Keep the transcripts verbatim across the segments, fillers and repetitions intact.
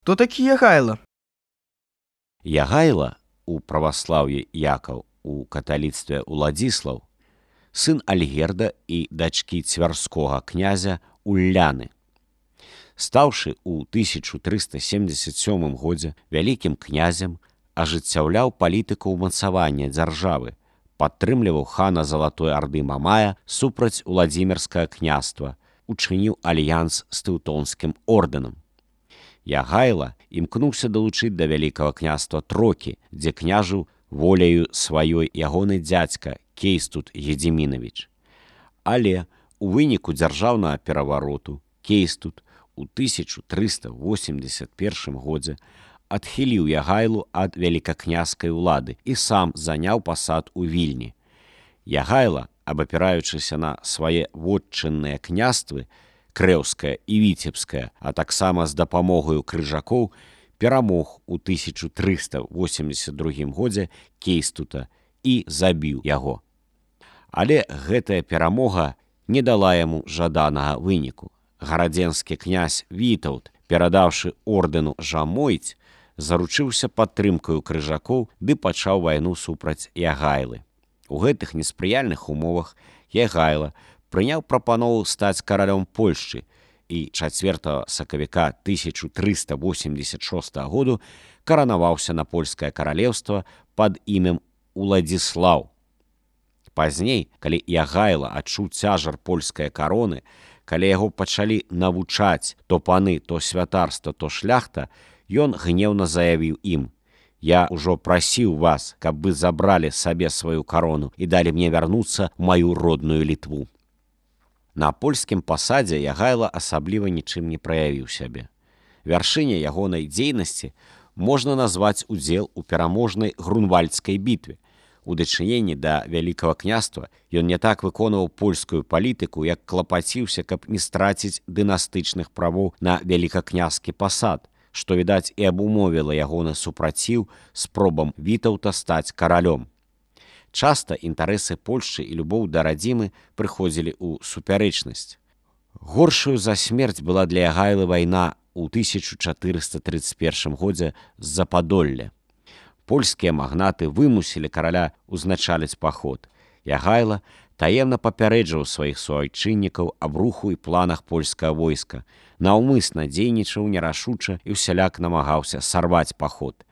Хто такі Ягайла? Ягайла у праваслаўі Якаў, у каталіцтве Уладзіслаў, сын Альгерда і дачкі цвярскога князя Улляны. Стаўшы ў тысяча трыста семдзесят сёмым годзе вялікім князем, ажыццяўляў палітыку ўмацавання дзяржавы, падтрымліваў хана Залатой Арды Мамая супраць Уладзімірскага княства, учыніў альянс з Тэўтонскім ордэнам. Ягайла імкнуўся далучыць да вялікага княства Трокі, дзе княжыў воляю сваёй ягоны дзядзька Кейстут Гедзімінавіч. Але у выніку дзяржаўнага перавароту Кейстут у тысяча трыста восемьдесят першым годзе адхіліў Ягайлу ад вялікакняскай улады і сам заняў пасад у Вільні. Ягайла, абапіраючыся на свае вотчынныя княствы, Крэўская і Віцебская, а таксама з дапамогаю крыжакоў, перамог у тысяча трыста восемьдесят другім годзе Кейстута і забіў яго. Але гэтая перамога не дала яму жаданага выніку. Гарадзенскі князь Вітаўт, перадаўшы ордэну Жамойць, заручыўся падтрымкаю крыжакоў ды пачаў вайну супраць Ягайлы. У гэтых неспрыяльных умовах Ягайла прыняў прапанову стаць каралём Польшчы і чацвёртага сакавіка тысяча трыста восемьдесят шостага году каранаваўся на польскае каралеўства пад імем Уладзіслаў. Пазней, калі Ягайла адчуў цяжар польскай кароны, калі яго пачалі навучаць то паны, то святарства, то шляхта, ён гнеўна заявіў ім: «Я ўжо прасіў вас, каб вы забралі сабе сваю карону і далі мне вярнуцца ў маю родную Літву». На польскім пасадзе Ягайла асабліва нічым не праявіў сябе. Вяршыня ягонай дзейнасці можна назваць удзел у пераможнай Грунвальдскай бітве. У дачыненні да вялікага княства ён не так выконваў польскую палітыку, як клапаціўся, каб не страціць дынастычных правоў на вялікакняскі пасад, што, відаць, і абумовіла ягоны супраціў спробам Вітаўта стаць каралём. Часта інтарэсы Польшчы і любоў да радзімы прыходзілі ў супярэчнасць. Горшаю за смерць была для Ягайлы вайна ў тысяча чатырыста трыццаць першым годзе з-за Падолля. Польскія магнаты вымусілі караля ўзначаліць паход. Ягайла таемна папярэджваў сваіх суайчыннікаў аб руху і планах польскага войска, наўмысна дзейнічаў нерашуча і ўсяляк намагаўся сарваць паход.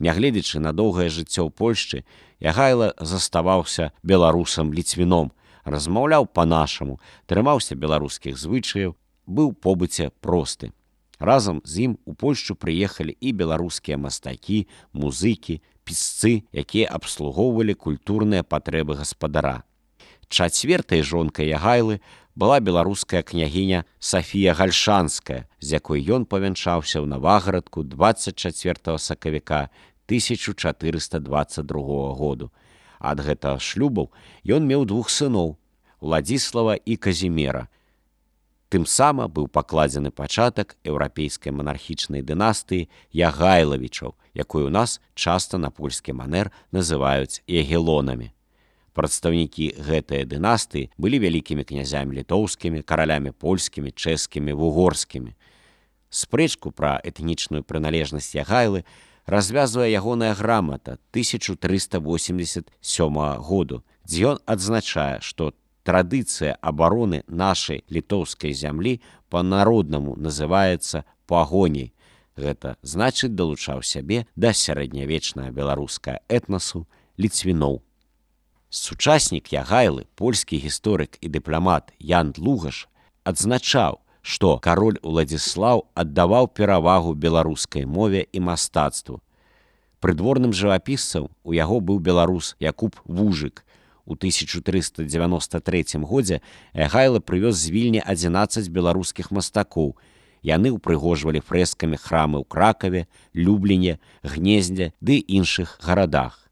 Нягледзячы на доўгае жыццё ў Польшчы, Ягайла заставаўся беларусам-ліцвіном, размаўляў па-нашаму, трымаўся беларускіх звычаяў, быў побыце просты. Разам з ім у Польшчу прыехалі і беларускія мастакі, музыкі, пісцы, якія абслугоўвалі культурныя патрэбы гаспадара. Чацвёртай жонкай Ягайлы была беларуская княгіня Сафія Гальшанская, з якой ён павянчаўся ў Наваградку дваццаць чацвёртага сакавіка тысяча чатырыста дваццаць другога году. Ад гэтага шлюбаў ён меў двух сыноў – Уладзіслава і Казімера. Тым сама быў пакладзены пачатак еўрапейскай манархічнай дынастыі Ягайлавічаў, якую ў нас часта на польскі манер называюць ягелонамі. Прадстаўнікі гэтай дынастыі былі вялікімі князямі літоўскімі, каралямі польскімі, чэшскімі, вугорскімі. Спрэчку пра этнічную прыналежнасць Ягайлы развязвае ягоная грамата тысяча трыста восемьдесят сёмага году, дзе ён адзначае, што традыцыя абароны нашай літоўскай зямлі па-народнаму называецца пагоняй. Гэта значыць далучаў сябе да сярэднявечнага беларускага этнасу ліцвіноў. Сучаснік Ягайлы, польскі гісторык і дыпламат Ян Длугаш, адзначаў, што кароль Уладзіслаў аддаваў перавагу беларускай мове і мастацтву. Прыдворным жывапісцам у яго быў беларус Якуб Вужык. У тысяча трыста дзевяноста трэцім годзе Ягайла прывёз з Вільні адзінаццаць беларускіх мастакоў. Яны ўпрыгожвалі фрэскамі храмы ў Кракаве, Любліне, Гнездзе ды іншых гарадах.